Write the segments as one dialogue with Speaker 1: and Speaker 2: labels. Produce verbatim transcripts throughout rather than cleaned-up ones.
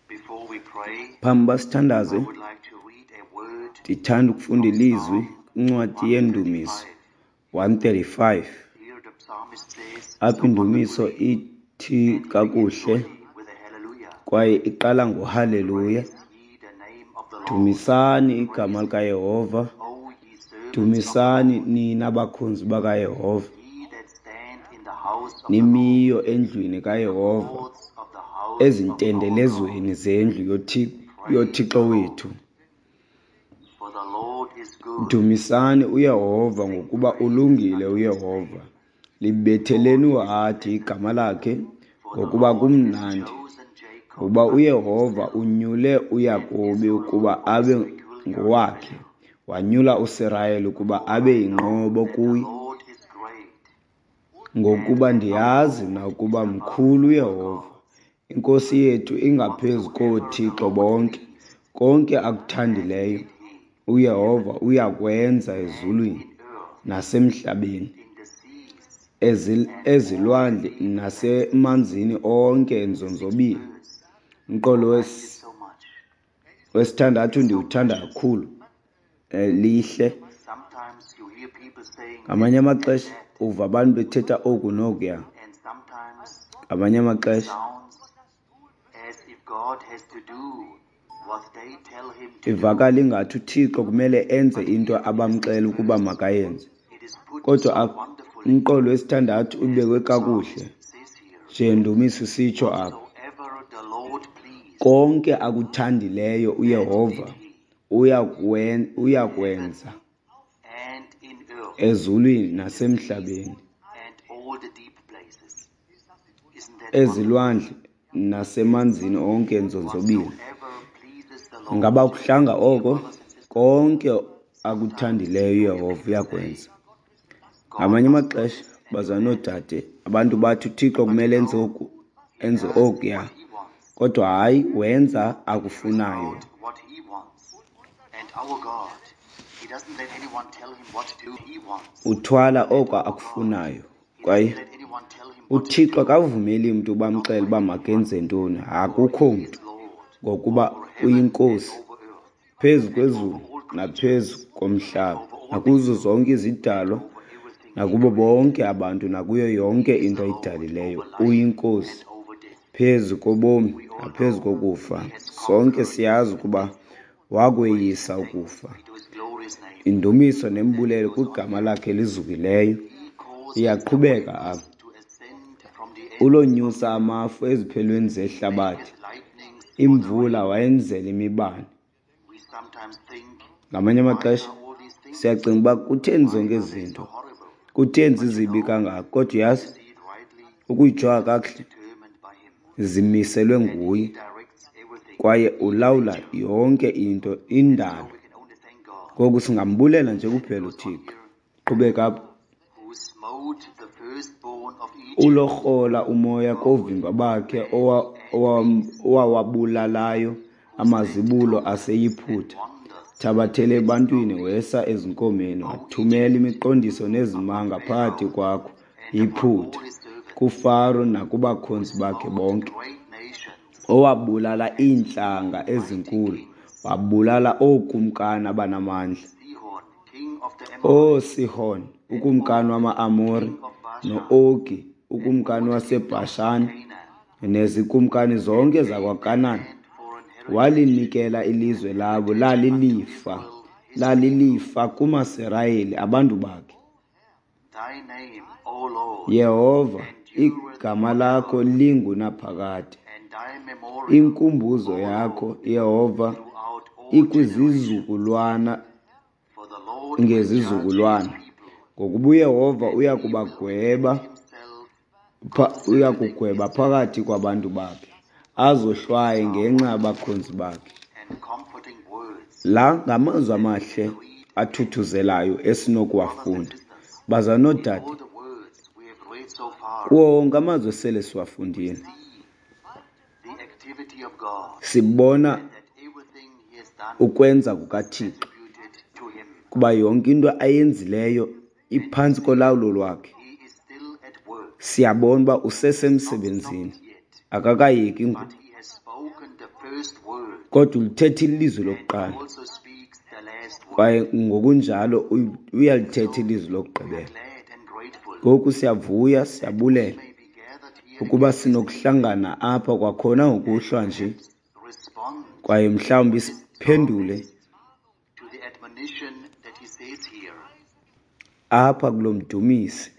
Speaker 1: Before we pray,
Speaker 2: Phambi uba sithandaze,
Speaker 1: I would like to read a word
Speaker 2: ndithanda ukufunda
Speaker 1: from
Speaker 2: ilizwi
Speaker 1: Psalm
Speaker 2: kwincwadi yeNdumiso
Speaker 1: one thirty-five.
Speaker 2: one thirty-five.
Speaker 1: Here the psalmist says
Speaker 2: Apho
Speaker 1: so
Speaker 2: indumiso
Speaker 1: wonderfully
Speaker 2: ithi
Speaker 1: and begins
Speaker 2: kakuhle
Speaker 1: only with a hallelujah.
Speaker 2: kwaye iqala ngohaleluya.
Speaker 1: Praise ye the name of the Lord.
Speaker 2: Dumisani igama
Speaker 1: Praise
Speaker 2: likaYehova.
Speaker 1: him, O ye servants of the
Speaker 2: Dumisani
Speaker 1: Lord,
Speaker 2: nina bakhonzi bakaYehova.
Speaker 1: ye that stand in the house of the Lord,
Speaker 2: Nimiyo endlwini
Speaker 1: in the
Speaker 2: kaYehova,
Speaker 1: courts of the house of our God.
Speaker 2: ezintendelezweni zendlu yoThi-
Speaker 1: Praise the
Speaker 2: yoThixo
Speaker 1: Lord,
Speaker 2: wethu.
Speaker 1: for the Lord is good.
Speaker 2: Dumisani uYehova
Speaker 1: Sing
Speaker 2: ngokuba
Speaker 1: praise
Speaker 2: ulungile
Speaker 1: unto his
Speaker 2: uYehova.
Speaker 1: name,
Speaker 2: Libetheleni
Speaker 1: for he is
Speaker 2: uhadi
Speaker 1: pleasant.
Speaker 2: igama lakhe
Speaker 1: For the
Speaker 2: ngokuba
Speaker 1: Lord has
Speaker 2: kumnandi.
Speaker 1: chosen Jacob
Speaker 2: Ngokuba
Speaker 1: unto
Speaker 2: uYehova
Speaker 1: himself,
Speaker 2: unyule
Speaker 1: and
Speaker 2: uYakobi
Speaker 1: Israel
Speaker 2: ukuba
Speaker 1: for his
Speaker 2: abe
Speaker 1: peculiar
Speaker 2: ngowakhe,
Speaker 1: treasure.
Speaker 2: wanyula uSirayeli ukuba
Speaker 1: For
Speaker 2: abe
Speaker 1: I know
Speaker 2: yinqobo
Speaker 1: that the
Speaker 2: kuye.
Speaker 1: Lord is great, and
Speaker 2: Ngokuba
Speaker 1: that our
Speaker 2: ndiyazi
Speaker 1: God
Speaker 2: mna
Speaker 1: is
Speaker 2: ukuba
Speaker 1: above
Speaker 2: mkhulu
Speaker 1: all
Speaker 2: uYehova,
Speaker 1: gods.
Speaker 2: iNkosi yethu ingaphezu
Speaker 1: Whatsoever the
Speaker 2: koothixo
Speaker 1: Lord
Speaker 2: bonke.
Speaker 1: pleased,
Speaker 2: Konke
Speaker 1: that
Speaker 2: akuthandileyo
Speaker 1: did he in
Speaker 2: uYehova
Speaker 1: heaven
Speaker 2: uyakwenza
Speaker 1: and
Speaker 2: ezulwini
Speaker 1: in earth,
Speaker 2: nasemhlabeni,
Speaker 1: in the seas,
Speaker 2: ezi-
Speaker 1: and all the
Speaker 2: ezilwandle
Speaker 1: deep places.
Speaker 2: nasemanzini onke
Speaker 1: The sixth
Speaker 2: enzonzobila.
Speaker 1: verse,
Speaker 2: Umqolo
Speaker 1: I like it
Speaker 2: wes-
Speaker 1: so much.
Speaker 2: wesithandathu
Speaker 1: It's so
Speaker 2: ndiwuthanda
Speaker 1: precious.
Speaker 2: kakhulu, eh, lihle.
Speaker 1: Sometimes you hear people saying
Speaker 2: Ngamanye
Speaker 1: this and
Speaker 2: amaxesha
Speaker 1: that,
Speaker 2: uva abantu bethetha oku nokuya.
Speaker 1: and sometimes
Speaker 2: Ngamanye
Speaker 1: it
Speaker 2: amaxesha
Speaker 1: sounds as if God has to do what they tell him to do.
Speaker 2: ivakala ingathi uThixo kumele enze
Speaker 1: But
Speaker 2: into
Speaker 1: here in the
Speaker 2: abamxela
Speaker 1: sixth
Speaker 2: ukuba
Speaker 1: verse,
Speaker 2: makayenze.
Speaker 1: it is put
Speaker 2: Kodwa
Speaker 1: so
Speaker 2: apha
Speaker 1: wonderfully,
Speaker 2: umqolo wesithandathu
Speaker 1: as
Speaker 2: ubekwe
Speaker 1: the
Speaker 2: kakuhle
Speaker 1: psalmist says here,
Speaker 2: njengendumiso isitsho apha.
Speaker 1: whatsoever the Lord pleased,
Speaker 2: Konke akuthandileyo
Speaker 1: that
Speaker 2: uYehova
Speaker 1: did he
Speaker 2: uyakwen-
Speaker 1: in heaven
Speaker 2: uyakwenza
Speaker 1: and in earth,
Speaker 2: ezulwini
Speaker 1: in the seas
Speaker 2: nasemhlabeni,
Speaker 1: and all the deep places. Isn't that wonderful?
Speaker 2: ezilwandle nasemanzini onke enzonzobila.
Speaker 1: Whatsoever pleases the Lord,
Speaker 2: Ngaba kuhlanga
Speaker 1: dear
Speaker 2: oko?
Speaker 1: brothers and sisters,
Speaker 2: Konke
Speaker 1: sometimes
Speaker 2: akuthandileyo
Speaker 1: you hear
Speaker 2: uYehova
Speaker 1: people say,
Speaker 2: uyakwenza.
Speaker 1: God
Speaker 2: Ngamanye
Speaker 1: must do
Speaker 2: amaxesha
Speaker 1: this and do
Speaker 2: bazalwane
Speaker 1: that.
Speaker 2: noodade, abantu bathi uThixo
Speaker 1: But you
Speaker 2: kumele enze
Speaker 1: know,
Speaker 2: oku,
Speaker 1: he
Speaker 2: enze
Speaker 1: does
Speaker 2: okuya.
Speaker 1: what he wants.
Speaker 2: Kodwa hayi, wenza
Speaker 1: He carries
Speaker 2: akufunayo.
Speaker 1: out what he wants. And our God, he doesn't let anyone tell him what to do. He wants.
Speaker 2: Uthwala
Speaker 1: And
Speaker 2: oko
Speaker 1: our God,
Speaker 2: akufunayo.
Speaker 1: he
Speaker 2: Kwaye
Speaker 1: doesn't let anyone tell him what to
Speaker 2: uThixo
Speaker 1: do.
Speaker 2: akavumeli mntu
Speaker 1: Not
Speaker 2: bamxele
Speaker 1: by
Speaker 2: uba
Speaker 1: anyone.
Speaker 2: makenze ntoni.
Speaker 1: For
Speaker 2: Akukho
Speaker 1: he
Speaker 2: mntu,
Speaker 1: is Lord
Speaker 2: ngokuba
Speaker 1: over heaven and
Speaker 2: uyinkosi
Speaker 1: over earth,
Speaker 2: phezu
Speaker 1: and over
Speaker 2: kwezulu
Speaker 1: all
Speaker 2: naphezu
Speaker 1: creatures, and
Speaker 2: komhlaba,
Speaker 1: over all
Speaker 2: nakuzo
Speaker 1: people,
Speaker 2: zonke
Speaker 1: and
Speaker 2: izidalwa,
Speaker 1: over everything he
Speaker 2: nakubo bonke
Speaker 1: created.
Speaker 2: abantu, nakuyo yonke
Speaker 1: He is
Speaker 2: into
Speaker 1: the Lord
Speaker 2: ayidalileyo.
Speaker 1: over life
Speaker 2: Uyinkosi
Speaker 1: and over death.
Speaker 2: phezu kobomi
Speaker 1: We all
Speaker 2: naphezu
Speaker 1: know
Speaker 2: kokufa.
Speaker 1: he has
Speaker 2: Sonke
Speaker 1: conquered
Speaker 2: siyazi ukuba
Speaker 1: death. Praise
Speaker 2: wakweyisa
Speaker 1: and thanks
Speaker 2: ukufa.
Speaker 1: be to his glorious name.
Speaker 2: Indumiso
Speaker 1: Then it
Speaker 2: nembulelo
Speaker 1: goes on
Speaker 2: kwigama
Speaker 1: here.
Speaker 2: lakhe elizukileyo.
Speaker 1: He causes the
Speaker 2: Iyaqhubeka
Speaker 1: winds
Speaker 2: apha.
Speaker 1: to ascend from the ends of the
Speaker 2: Ulonyusa
Speaker 1: earth.
Speaker 2: amafu eziphelweni
Speaker 1: He
Speaker 2: zehlabathi,
Speaker 1: maketh lightnings for the
Speaker 2: imvula
Speaker 1: rain.
Speaker 2: wayenzela imibane.
Speaker 1: We sometimes think,
Speaker 2: Ngamanye
Speaker 1: why
Speaker 2: amaxesha
Speaker 1: are all these things?
Speaker 2: siyacinga uba kutheni
Speaker 1: Why
Speaker 2: zonke
Speaker 1: are
Speaker 2: ezi
Speaker 1: they so
Speaker 2: zinto,
Speaker 1: horrible?
Speaker 2: kutheni
Speaker 1: But you
Speaker 2: zizibi
Speaker 1: know,
Speaker 2: kangaka? Kodwa
Speaker 1: if you
Speaker 2: uyazi,
Speaker 1: see it rightly,
Speaker 2: ukuyijonga
Speaker 1: it is
Speaker 2: kakuhle
Speaker 1: determined by him.
Speaker 2: zimiselwe
Speaker 1: And he
Speaker 2: nguye
Speaker 1: directs everything
Speaker 2: kwaye
Speaker 1: in
Speaker 2: ulawula
Speaker 1: nature.
Speaker 2: yonke into
Speaker 1: And so
Speaker 2: indalo.
Speaker 1: we can only thank God.
Speaker 2: Ngoku singambulela nje
Speaker 1: Then it
Speaker 2: kuphela
Speaker 1: goes on
Speaker 2: uThixo.
Speaker 1: here,
Speaker 2: Qhubeka apha.
Speaker 1: who smote the firstborn of Egypt,
Speaker 2: Ulorhola umoya
Speaker 1: both
Speaker 2: koovimba bakhe
Speaker 1: man
Speaker 2: owa-
Speaker 1: and
Speaker 2: owa-
Speaker 1: beast,
Speaker 2: owawabulalayo
Speaker 1: who sent
Speaker 2: amazibulo
Speaker 1: tokens and
Speaker 2: aseYiputa.
Speaker 1: wonders
Speaker 2: Thabathele
Speaker 1: amidst of
Speaker 2: ebantwini
Speaker 1: thee,
Speaker 2: wesa ezinkomeni,
Speaker 1: O
Speaker 2: wathumela
Speaker 1: Egypt,
Speaker 2: imiqondiso nezimanga
Speaker 1: upon
Speaker 2: phakathi
Speaker 1: Pharaoh
Speaker 2: kwakho
Speaker 1: and upon
Speaker 2: Yiputa,
Speaker 1: all his servants,
Speaker 2: kuFaro
Speaker 1: who
Speaker 2: nakubakhonzi bakhe
Speaker 1: smote
Speaker 2: bonke,
Speaker 1: great nations
Speaker 2: owabulala
Speaker 1: and slew
Speaker 2: iintlanga
Speaker 1: mighty
Speaker 2: ezinkulu,
Speaker 1: kings,
Speaker 2: wabulala ookumkani abanamandla,
Speaker 1: Sihon, king of the Amorites,
Speaker 2: ooSihon
Speaker 1: and
Speaker 2: ukumkani
Speaker 1: Og,
Speaker 2: wama-Amori,
Speaker 1: king of Bashan,
Speaker 2: no-Ogi
Speaker 1: and all
Speaker 2: ukumkani
Speaker 1: the kingdoms of
Speaker 2: waseBhashani,
Speaker 1: Canaan,
Speaker 2: nezikumkani
Speaker 1: and
Speaker 2: zonke
Speaker 1: gave their
Speaker 2: zakwaKanan.
Speaker 1: land for an heritage,
Speaker 2: Walinikela ilizwe
Speaker 1: an
Speaker 2: labo
Speaker 1: heritage unto
Speaker 2: lalilifa,
Speaker 1: Israel his people.
Speaker 2: lalilifa kumaSirayeli abantu bakhe.
Speaker 1: Thy name, O Lord,
Speaker 2: Yehova,
Speaker 1: endureth
Speaker 2: igama lakho
Speaker 1: forever,
Speaker 2: lingunaphakade.
Speaker 1: and thy memorial,
Speaker 2: Inkumbuzo
Speaker 1: O
Speaker 2: yakho,
Speaker 1: Lord,
Speaker 2: Yehova,
Speaker 1: throughout all generations.
Speaker 2: ikwizizukulwana
Speaker 1: For the Lord will judge his
Speaker 2: ngezizukulwana.
Speaker 1: people,
Speaker 2: Ngokuba uYehova
Speaker 1: and
Speaker 2: uya
Speaker 1: he will
Speaker 2: kubagweba
Speaker 1: defend himself
Speaker 2: pha, uya
Speaker 1: concerning
Speaker 2: kugweba
Speaker 1: his
Speaker 2: phakathi
Speaker 1: servants.
Speaker 2: kwabantu bakhe, azohlwaye
Speaker 1: These are
Speaker 2: ngenxa
Speaker 1: wonderful
Speaker 2: yabakhonzi bakhe.
Speaker 1: and comforting words
Speaker 2: La ngamazwi
Speaker 1: that we
Speaker 2: amahle
Speaker 1: can read again.
Speaker 2: athuthuzelayo
Speaker 1: Brothers and
Speaker 2: esinokuwafunda.
Speaker 1: sisters,
Speaker 2: Bazalwane
Speaker 1: in
Speaker 2: noodade,
Speaker 1: all the words we have read so far,
Speaker 2: kuwo wonke amazwi esele
Speaker 1: we
Speaker 2: siwafundile,
Speaker 1: see the activity of God
Speaker 2: sibona
Speaker 1: and that everything he has done
Speaker 2: ukwenza
Speaker 1: is
Speaker 2: kukaThixo,
Speaker 1: attributed to him.
Speaker 2: kuba yonke into ayenzileyo
Speaker 1: And we
Speaker 2: iphantsi
Speaker 1: see
Speaker 2: kolawulo lwakhe.
Speaker 1: he is still at work.
Speaker 2: Siyabona uba
Speaker 1: He has not
Speaker 2: usesemsebenzini,
Speaker 1: stopped yet,
Speaker 2: akakayeki ngoku.
Speaker 1: but he has spoken the
Speaker 2: Kodwa ulithetha ilizwi lokuqala, kwaye ngokunjalo uyalithetha ilizwi lokugqibela. Ngoku siyavuya, siyabulela ukuba sinokuhlangana apha kwakhona ngokuhlwa nje, kwaye mhlawumbi siphendule apha kulo mdumisi,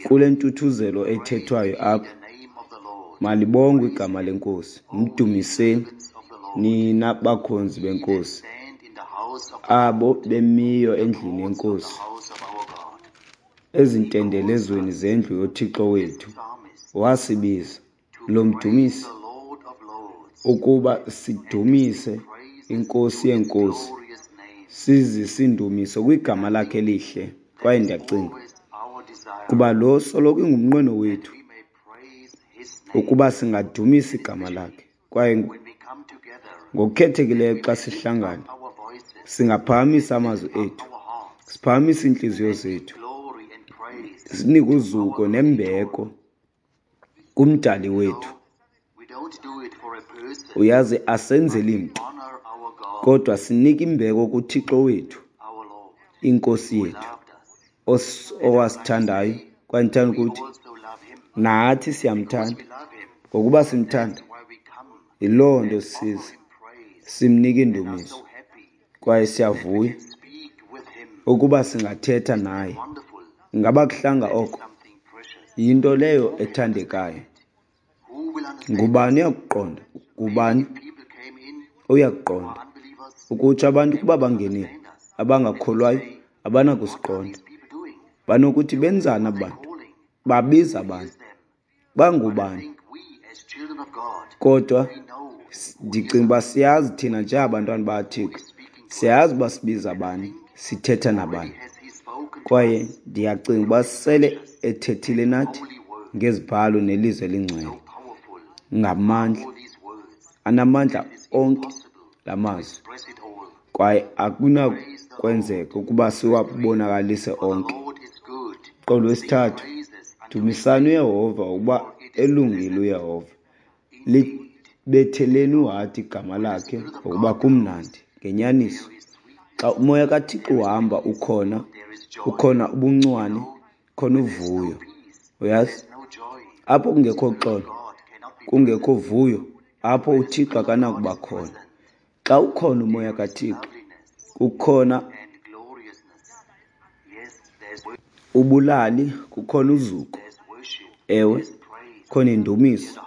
Speaker 2: kule ntuthuzelo ethethwayo apha. Malibongwe igama leNkosi. Mdumiseni nina bakhonzi beNkosi, abo bemiyo endlini yeNkosi, ezintendelezweni zendlu yoThixo wethu. Wasibiza lo mdumisi ukuba sidumise iNkosi yeeNkosi, sizise indumiso kwigama lakhe elihle. Kwaye ndiyacinga kuba lo soloko ingumnqweno wethu ukuba singadumisa igama lakhe. Kwaye ngokukhethekileyo xa sihlangana, singaphakamisa amazwi ethu, siphakamise iintliziyo zethu, sinike uzuko nembeko kuMdali wethu. Uyazi, asenzeli mntu, kodwa sinika imbeko kuThixo wethu, iNkosi yethu, owasithandayo. Kwaye ndithanda ukuthi nathi siyamthanda. Ngokuba simthanda, yiloo nto siza simnika indumiso, kwaye siyavuya ukuba singathetha naye. Ingaba kuhlanga oko? Yinto leyo ethandekayo. Ngubani uyakuqonda? Ngubani uyakuqonda? Ukutsho abantu kuba bangenile, abangakholwayo abanakusiqonda. Banokuthi benzani aba bantu? Babiza abantu. Bangubani? Kodwa ndicinga uba siyazi thina njengabantwana bakaThixo, siyazi uba sibiza bani, sithetha nabani. Kwaye ndiyacinga uba sele ethethile nathi ngezibhalo nelizwi elingcwele, ngamandla, anamandla onke la mazwi, kwaye akunakwenzeka ukuba siwabonakalise onke. Qolo wesithathu, dumisani uYehova ukuba elungile uYehova. Libetheleni uhadi igama lakhe ngokuba kumnandi. Ngenyaniso, xa umoya kaThixo uhamba ukhona, ukhona ubuncwane, khona uvuyo. Uyazi, apho kungekho xolo, kungekho vuyo, apho uThixo akanakuba khona. Xa ukhona umoya kaThixo, kukhona ubulali, kukhona uzuko, ewe, khona indumiso,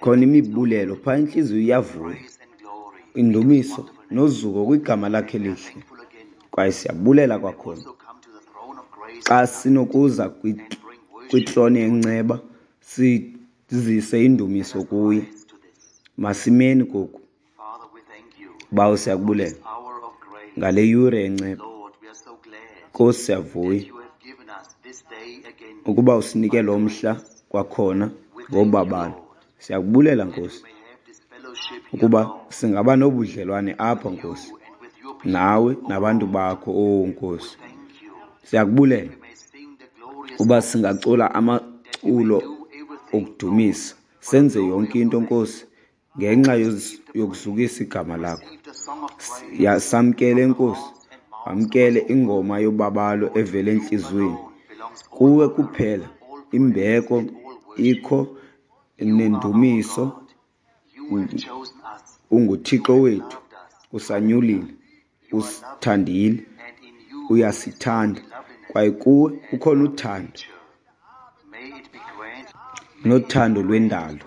Speaker 2: khona imibulelo. Phaa intliziyo iyavuya, indumiso nozuko kwigama lakhe elihle. Kwaye siyabulela kwakhona xa sinokuza kwitrone yenceba sizise indumiso kuye. Masimeni koku. Bawo, siyakubulela ngale yure yenceba. Nkosi, siyavuya ukuba usinike lo mhla kwakhona ngobabalo. Siyakubulela, Nkosi, ukuba singaba nobudlelwane apha, Nkosi, nawe nabantu bakho. Oh Nkosi, siyakubulela uba singacula amaculo okudumisa, senze yonke into, Nkosi, ngenxa yokuzukisa igama lakho. Samkele, Nkosi, wamkele ingoma yobabalo evela entliziyweni. Kuwe kuphela imbeko ikho nendumiso. UnguThixo wethu, usanyulile, usithandile, uyasithanda, kwaye kuwe kukhona uthando nothando lwendalo.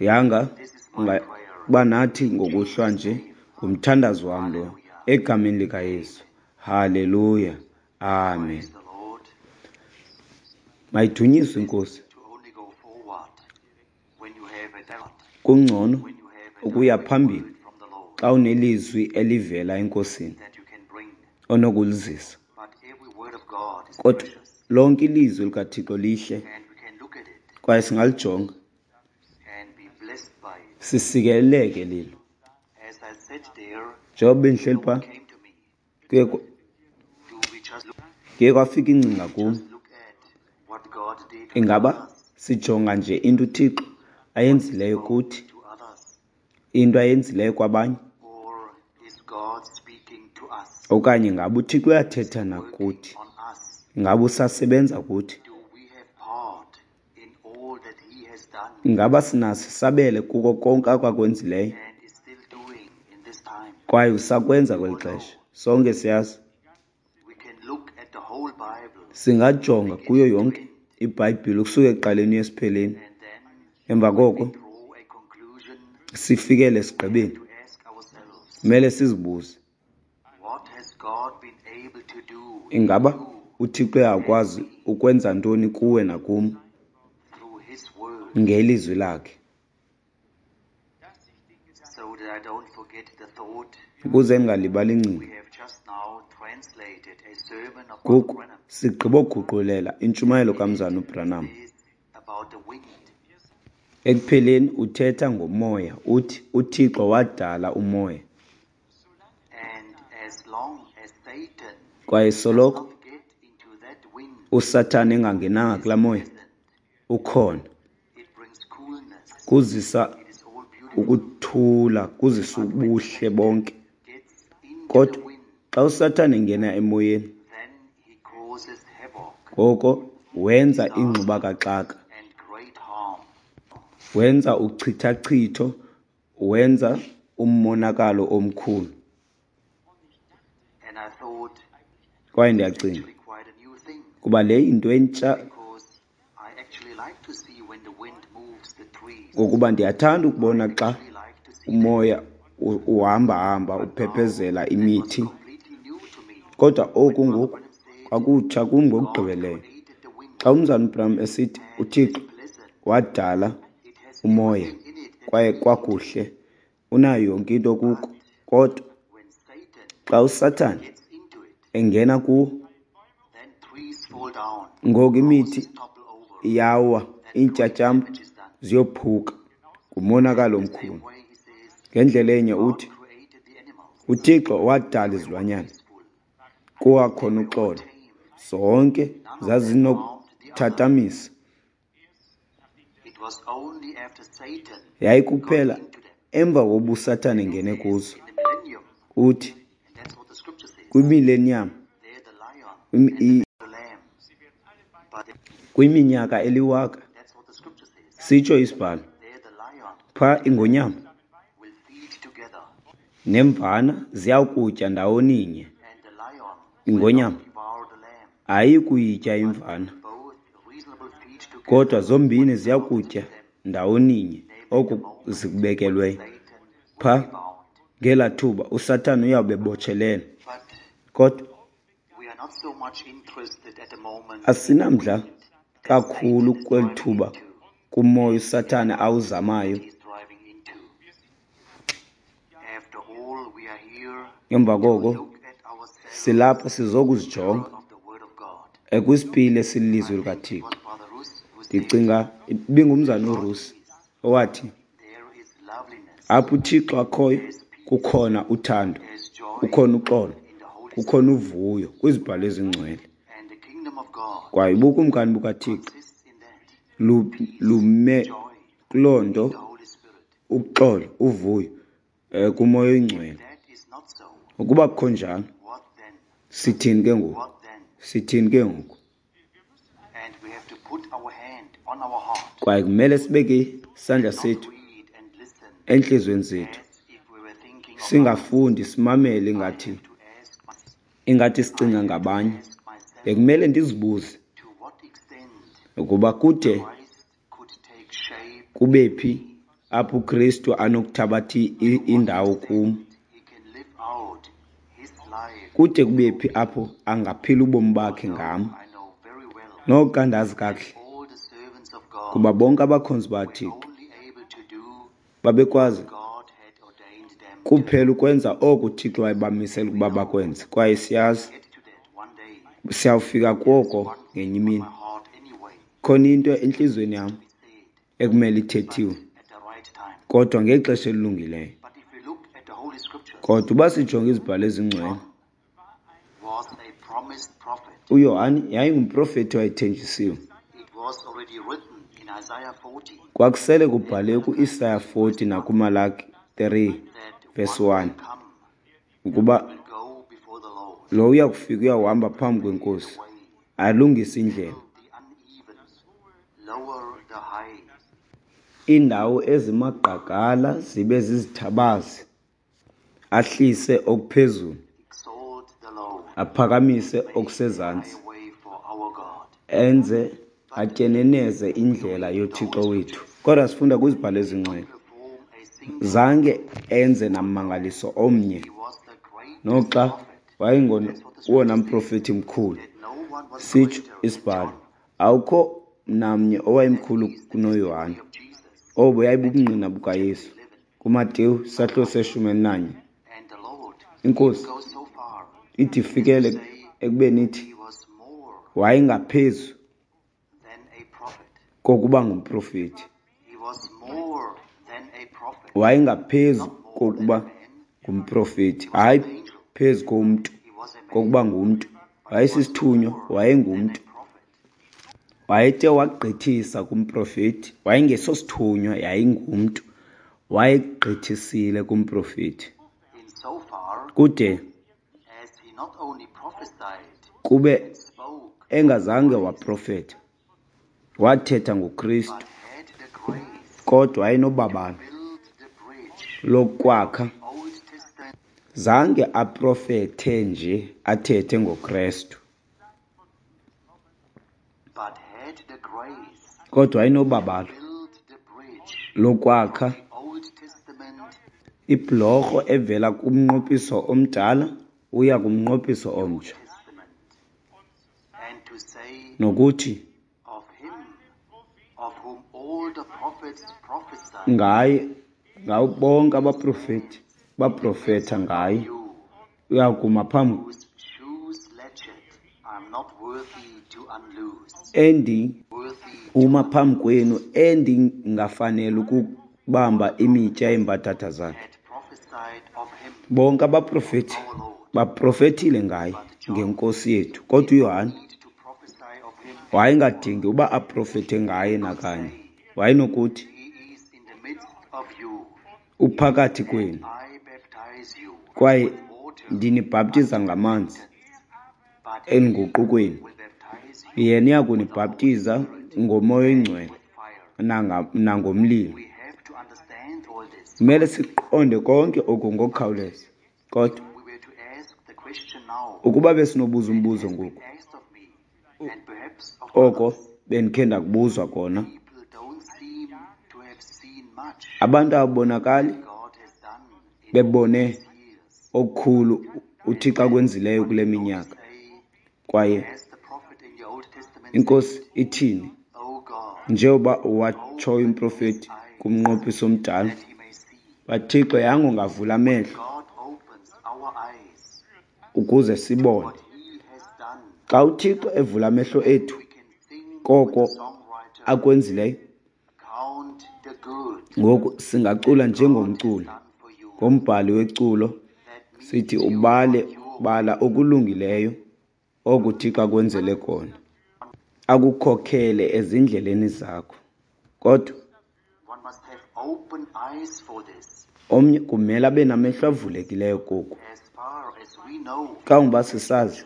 Speaker 2: Yanga ungaba nathi ngokuhlwa nje, ngumthandazo wam lo, egameni likaYesu. Haleluya, amen. Mayidunyiswe iNkosi. Kungcono ukuya phambili xa unelizwi elivela eNkosini onokulizisa. Kodwa lonke ilizwi likaThixo lihle, kwaye singalijonga sisikeleleke lilo. Njengoba bendihleli phaa, kuye kwafika ingcinga kum. Ingaba sijonga nje into uThixo ayenzileyo
Speaker 1: spoke
Speaker 2: kuthi,
Speaker 1: to others,
Speaker 2: into ayenzileyo kwabanye,
Speaker 1: or is God speaking to us,
Speaker 2: okanye ngaba uThixo uyathetha
Speaker 1: working
Speaker 2: nakuthi,
Speaker 1: on us?
Speaker 2: ingaba usasebenza kuthi?
Speaker 1: Do we have part in all that He has done
Speaker 2: Ingaba sinaso isabelo kuko konke akakwenzileyo
Speaker 1: and is still doing in this time?
Speaker 2: kwaye usakwenza kweli xesha? Sonke siyazi.
Speaker 1: We can look at the whole Bible
Speaker 2: Singajonga kuyo yonke iBhayibhile ukusuka ekuqaleni uye esipheleni,
Speaker 1: and then
Speaker 2: emva koko
Speaker 1: draw a conclusion
Speaker 2: sifikele esigqibeni.
Speaker 1: to ask ourselves,
Speaker 2: Kumele sizibuze,
Speaker 1: what has God been able to do in
Speaker 2: ingaba
Speaker 1: you
Speaker 2: uThixo uyakwazi ukwenza ntoni kuwe nakum
Speaker 1: through His Word,
Speaker 2: ngelizwi lakhe?
Speaker 1: so that I don't forget the thought
Speaker 2: Ukuze ndingalibali
Speaker 1: we
Speaker 2: ingcinga,
Speaker 1: have just now translated a sermon of Brother
Speaker 2: ngoku
Speaker 1: Branham.
Speaker 2: sigqiboguqulela intshumayelo kaMzana uBranham.
Speaker 1: Is about the wind.
Speaker 2: Ekupheleni uthetha ngomoya, uthi uThixo wadala umoya,
Speaker 1: And as long as Satan
Speaker 2: kwaye
Speaker 1: does
Speaker 2: soloko
Speaker 1: not get into that wind,
Speaker 2: uSathane engangenanga kulaa moya ukhona,
Speaker 1: it brings coolness.
Speaker 2: kuzisa
Speaker 1: It is all beautiful.
Speaker 2: ukuthula, kuzisa ubuhle bonke.
Speaker 1: Gets into the
Speaker 2: Kodwa
Speaker 1: wind,
Speaker 2: xa uSathane engena emoyeni,
Speaker 1: then he causes havoc
Speaker 2: ngoko wenza ingxubakaxaka,
Speaker 1: and great harm.
Speaker 2: wenza uchithachitho, wenza umonakalo omkhulu.
Speaker 1: And I thought
Speaker 2: Kwaye
Speaker 1: it's
Speaker 2: ndiyacinga
Speaker 1: actually quite a new thing,
Speaker 2: kuba le yinto entsha,
Speaker 1: because I actually like to see when the wind moves the trees.
Speaker 2: ngokuba ndiyathanda ukubona xa
Speaker 1: I like to see that.
Speaker 2: umoya u- uhamba-hamba uphephezela
Speaker 1: That was
Speaker 2: imithi.
Speaker 1: completely new to me.
Speaker 2: Kodwa oku
Speaker 1: When Brother
Speaker 2: ngoku
Speaker 1: Branham said
Speaker 2: kwakutsha kum
Speaker 1: God
Speaker 2: ngokugqibeleleyo.
Speaker 1: created the wind
Speaker 2: Xa uMzalwana uBranham esithi
Speaker 1: and it is
Speaker 2: uThixo
Speaker 1: pleasant,
Speaker 2: wadala
Speaker 1: it has
Speaker 2: umoya
Speaker 1: everything in it that
Speaker 2: kwaye
Speaker 1: we need.
Speaker 2: kwakuhle, unayo yonke into kuko.
Speaker 1: But
Speaker 2: Kodwa
Speaker 1: when Satan
Speaker 2: xa uSathane
Speaker 1: gets into it,
Speaker 2: engena kuwo,
Speaker 1: then trees fall down,
Speaker 2: ngoku imithi
Speaker 1: houses topple over,
Speaker 2: iyawa,
Speaker 1: and great
Speaker 2: iintyatyambo
Speaker 1: damage is done.
Speaker 2: ziyophuka, ngumonakalo
Speaker 1: The same
Speaker 2: omkhulu.
Speaker 1: way he says,
Speaker 2: Ngendlela enye
Speaker 1: God
Speaker 2: uthi
Speaker 1: created the animals.
Speaker 2: uThixo wadala
Speaker 1: They were all
Speaker 2: izilwanyana,
Speaker 1: peaceful.
Speaker 2: kuwakhona
Speaker 1: They were all
Speaker 2: uxolo,
Speaker 1: tame.
Speaker 2: zonke
Speaker 1: None of them harmed the other.
Speaker 2: zazinokuthatamisa.
Speaker 1: It was only after Satan got
Speaker 2: Yayikuphela
Speaker 1: into them.
Speaker 2: emva kokuba uSathane
Speaker 1: It
Speaker 2: engene
Speaker 1: says
Speaker 2: kuzo.
Speaker 1: in the millennium,
Speaker 2: Uthi
Speaker 1: and that's what the scripture says,
Speaker 2: kwimileniyam,
Speaker 1: there the lion
Speaker 2: kwimi-
Speaker 1: and
Speaker 2: i-
Speaker 1: the lamb. But
Speaker 2: kwiminyaka eliwaka,
Speaker 1: that's what the scripture says.
Speaker 2: sitsho isibhalo,
Speaker 1: There the lion
Speaker 2: phaa ingonyama
Speaker 1: will feed together,
Speaker 2: nemvana ziyakutya ndawoninye,
Speaker 1: and the lion will not
Speaker 2: ingonyama
Speaker 1: devour the lamb.
Speaker 2: ayikuyitya imvana,
Speaker 1: Both reasonable feed together
Speaker 2: kodwa zombini
Speaker 1: what belongs to
Speaker 2: ziyakutya
Speaker 1: them,
Speaker 2: ndawoninye
Speaker 1: namely the
Speaker 2: oku
Speaker 1: moment when
Speaker 2: zikubekelweyo.
Speaker 1: Satan will
Speaker 2: Phaa
Speaker 1: be bound.
Speaker 2: ngelaa thuba uSathane uyawube ebotshelelwe.
Speaker 1: But
Speaker 2: Kodwa
Speaker 1: we are not so much interested at the moment in the
Speaker 2: asinamdla
Speaker 1: wind that
Speaker 2: kakhulu
Speaker 1: Satan is
Speaker 2: kweli
Speaker 1: driving
Speaker 2: thuba
Speaker 1: into,
Speaker 2: kumoya uSathane
Speaker 1: in the
Speaker 2: awuzamayo.
Speaker 1: that he's driving into. After all, we are here
Speaker 2: Emva
Speaker 1: to
Speaker 2: koko
Speaker 1: look at ourselves
Speaker 2: silapha
Speaker 1: in the
Speaker 2: sizokuzijonga
Speaker 1: mirror of the Word of God.
Speaker 2: kwisipili esililizwi
Speaker 1: I think it
Speaker 2: likaThixo.
Speaker 1: was Brother Russ who said,
Speaker 2: Ndicinga ibingumzana
Speaker 1: God
Speaker 2: uRusi
Speaker 1: is,
Speaker 2: owathi
Speaker 1: there is loveliness,
Speaker 2: apho uThixo akhoyo
Speaker 1: there is peace,
Speaker 2: kukhona uthando,
Speaker 1: there is joy
Speaker 2: kukhona uxolo,
Speaker 1: in the Holy
Speaker 2: kukhona
Speaker 1: Spirit.
Speaker 2: uvuyo kwizibhalo ezingcwele.
Speaker 1: And the kingdom of God
Speaker 2: Kwaye ubukumkani bukaThixo
Speaker 1: consists in that
Speaker 2: lu-
Speaker 1: peace,
Speaker 2: lume
Speaker 1: joy
Speaker 2: kuloo
Speaker 1: in
Speaker 2: nto,
Speaker 1: the Holy Spirit.
Speaker 2: uxolo, uvuyo um kumoya
Speaker 1: If
Speaker 2: oyingcwele.
Speaker 1: that is not so,
Speaker 2: Ukuba kukho njalo,
Speaker 1: what then?
Speaker 2: sithini ke ngoku?
Speaker 1: What then?
Speaker 2: Sithini ke ngoku?
Speaker 1: And we have to put our hand on our heart
Speaker 2: Kwaye kumele sibeke isandla
Speaker 1: and not
Speaker 2: sethu
Speaker 1: read and listen
Speaker 2: entliziyweni zethu,
Speaker 1: as if we were thinking of others.
Speaker 2: singafundi simamele
Speaker 1: I
Speaker 2: ingathi
Speaker 1: have to ask myself,
Speaker 2: ingathi
Speaker 1: I
Speaker 2: sicinga
Speaker 1: have to
Speaker 2: ngabanye.
Speaker 1: ask myself
Speaker 2: Bekumele ndizibuze
Speaker 1: to what extent
Speaker 2: ukuba kude
Speaker 1: Christ could take shape
Speaker 2: kube
Speaker 1: in
Speaker 2: phi
Speaker 1: me,
Speaker 2: apho uKristu anokuthabatha i-
Speaker 1: to what
Speaker 2: indawo kum,
Speaker 1: extent he can live out his life
Speaker 2: kude kube
Speaker 1: through
Speaker 2: phi
Speaker 1: me.
Speaker 2: apho angaphila ubomi bakhe
Speaker 1: Although
Speaker 2: ngam.
Speaker 1: I know very well
Speaker 2: Noxa ndazi
Speaker 1: that
Speaker 2: kakuhle
Speaker 1: all the servants of God
Speaker 2: kuba bonke abakhonzi
Speaker 1: were
Speaker 2: bakaThixo
Speaker 1: only able to do
Speaker 2: babekwazi
Speaker 1: what God had ordained them to
Speaker 2: kuphela
Speaker 1: do.
Speaker 2: ukwenza oko uThixo wayebamisela
Speaker 1: We
Speaker 2: ukuba
Speaker 1: know
Speaker 2: bakwenze. Kwaye siyazi
Speaker 1: we'll get to that one day.
Speaker 2: siyawufika
Speaker 1: There is
Speaker 2: koko
Speaker 1: one
Speaker 2: ngenye
Speaker 1: thing on
Speaker 2: imini.
Speaker 1: my heart anyway
Speaker 2: Khona into
Speaker 1: that
Speaker 2: entliziyweni
Speaker 1: needs
Speaker 2: yam
Speaker 1: to be said,
Speaker 2: ekumele
Speaker 1: but
Speaker 2: ithethiwe,
Speaker 1: at the right time.
Speaker 2: kodwa ngexesha elilungileyo.
Speaker 1: But if we look at the Holy Scriptures,
Speaker 2: Kodwa uba sijonge izibhalo ezingcwele,
Speaker 1: John was a promised prophet.
Speaker 2: uYohane yayingumprofethi owayethenjisiwe.
Speaker 1: It was already written in
Speaker 2: Kwakusele kubhaliwe ku-Isaya forty nakuMalaki three verse one ukuba lo uyakufika uyawuhamba phambi kweNkosi, alungise indlela. Iindawo ezimagqagala zibe zizithabazi, ahlise okuphezulu, aphakamise okusezantsi, enze atyeneneze indlela yoThixo wethu. Kodwa sifunda kwizibhalo ezingcwele, zange enze nammangaliso omnye, noxa wayengowona mprofeti mkhulu. Sitsho isibhalo, awukho namnye owayemkhulu kunoYohane. Obo yayibubungqina bukaYesu kuMateyu isahluko seshumi elinanye. INkosi ithi ifikele ekubeni ithi wayengaphezu kokuba ngumprofeti. Wayengaphezu kokuba ngumprofeti, hayi phezu komntu, kokuba ngumntu. Wayesisithunywa, wayengumntu. Wayethe wagqithisa kumprofeti, wayengesosithunywa, yayingumntu. Wayegqithisile kumprofeti. Kude kube engazange waprofeta, wathetha ngoKristu, kodwa wayenobabalo lokwakha. Zange aprofethe nje athethe ngoKristu, kodwa wayenobabalo lokwakha ibhlorho evela kumnqophiso omdala uya kumnqophiso omtsha, nokuthi ngaye, ngawo bonke abaprofeti baprofeta ngaye, uyakuma phambi endi uma phambi kwenu endingafanele ukubamba imitya yeembadada zakhe. Bonke abaprofeti baprofetile ngaye, ngeNkosi yethu, kodwa uYohane wayengadingi uba aprofete ngaye nakanye. Wayenokuthi uphakathi kwenu kwaye ndinibhaptiza ngamanzi enguqukweni, yena uyakunibhaptiza ngoMoya oyiNgcwele nangomlilo. Kumele siqonde konke oku ngokukhawuleza. Kodwa ukuba besinobuza umbuzo ngoku, oko bendikhe ndakubuzwa kona, abantu ababonakali bebone okukhulu uThixo akwenzileyo kule minyaka. Kwaye iNkosi ithini? Njengoba watshoyo umprofeti kumnqophiso omdala, baThixo yangu ungavula amehlo ukuze sibone. Xa uThixo evula amehlo ethu koko akwenzileyo, ngoku singacula njengomculi, ngombhali weculo, sithi ubale bala okulungileyo oku uThixo akwenzele kona, akukhokhele ezindleleni zakho. Kodwa omnye kumele abe namehlo avulekileyo koku. Kangoba sisazi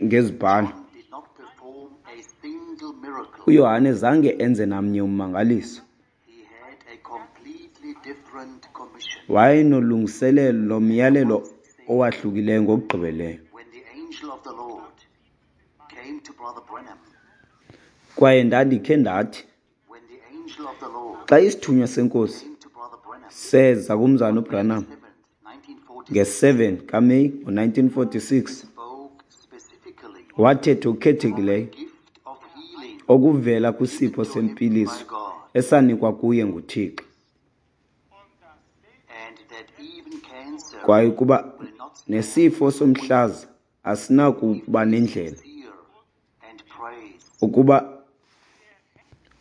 Speaker 2: ngezibhalo, uYohane zange enze namnye ummangaliso. Wayenolungiselelo nomyalelo owahlukileyo ngokugqibeleleyo. Kwaye ndandikhe ndathi, xa isithunywa seNkosi seza kumzana uBranham nge-seven kaMeyi ngo-nineteen forty-six, wathetha okukhethekileyo okuvela kwisipho sempiliso esanikwa kuye nguThixo. Kwaye ukuba nesifo somhlaza asinakuba nendlela ukuba,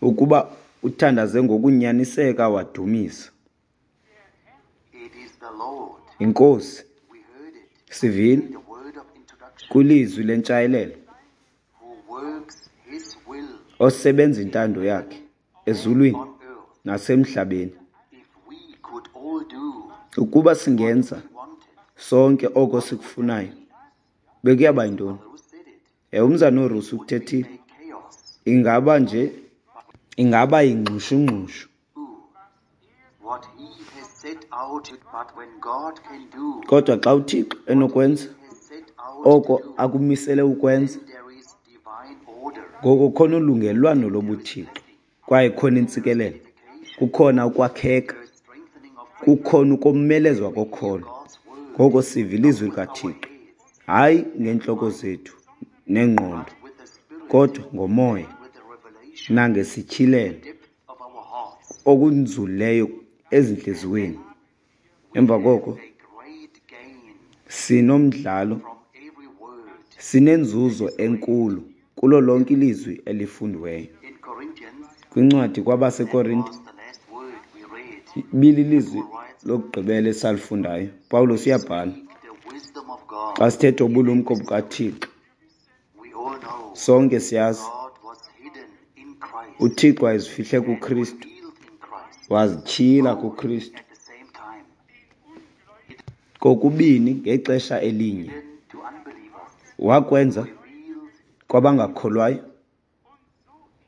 Speaker 2: ukuba uthandaze ngokunyaniseka wadumisa. INkosi sivile kwilizwi lentshayelelo osebenza intando yakhe. ezulwini
Speaker 1: on earth.
Speaker 2: Nasemhlabeni.
Speaker 1: If we could all do
Speaker 2: Ukuba singenza
Speaker 1: what we wanted,
Speaker 2: sonke oko sikufunayo, bekuyaba yintoni?
Speaker 1: who said it?
Speaker 2: Ewe, umzana uRusi ukuthethile.
Speaker 1: A chaos.
Speaker 2: Ingaba nje ingaba yingxushungxushu.
Speaker 1: What he has set out, but when God can do,
Speaker 2: Kodwa xa uThixo enokwenza
Speaker 1: has set out
Speaker 2: oko
Speaker 1: to do,
Speaker 2: akumisele ukwenza,
Speaker 1: there is divine order.
Speaker 2: Ngoko khona ulungelwano lobuThixo kwaye khona intsikelelo, kukhona ukwakheka,
Speaker 1: There is strengthening of faith.
Speaker 2: Kukhona ukomelezwa kokholo.
Speaker 1: God's word
Speaker 2: Ngoko siva ilizwi likaThixo, hayi ngeentloko zethu nengqondo,
Speaker 1: with the Spirit,
Speaker 2: kodwa ngomoya
Speaker 1: with the revelation,
Speaker 2: nangesityhilelo
Speaker 1: depth of our hearts.
Speaker 2: Okunzulileyo ezintliziyweni. Emva koko
Speaker 1: A great gain
Speaker 2: sinomdlalo,
Speaker 1: from every word.
Speaker 2: Sinenzuzo enkulu kulo lonke ilizwi elifundiweyo.
Speaker 1: In Corinthians,
Speaker 2: Kwincwadi kwabaseKorinte,
Speaker 1: was the last word we read.
Speaker 2: Bililizwi lokugqibela esalifundayo. Pawulos uyabhala,
Speaker 1: The wisdom of God.
Speaker 2: Xa sithetha ubulumko bukaThixo,
Speaker 1: We all know
Speaker 2: sonke siyazi
Speaker 1: God was hidden in Christ,
Speaker 2: uThixo wayezifihle kuKristu,
Speaker 1: revealed in Christ
Speaker 2: wazityhila kuKristu
Speaker 1: at the same time.
Speaker 2: Kokubini ngexesha elinye.
Speaker 1: Hidden to unbelievers,
Speaker 2: Wakwenza
Speaker 1: revealed
Speaker 2: kwabangakholwayo,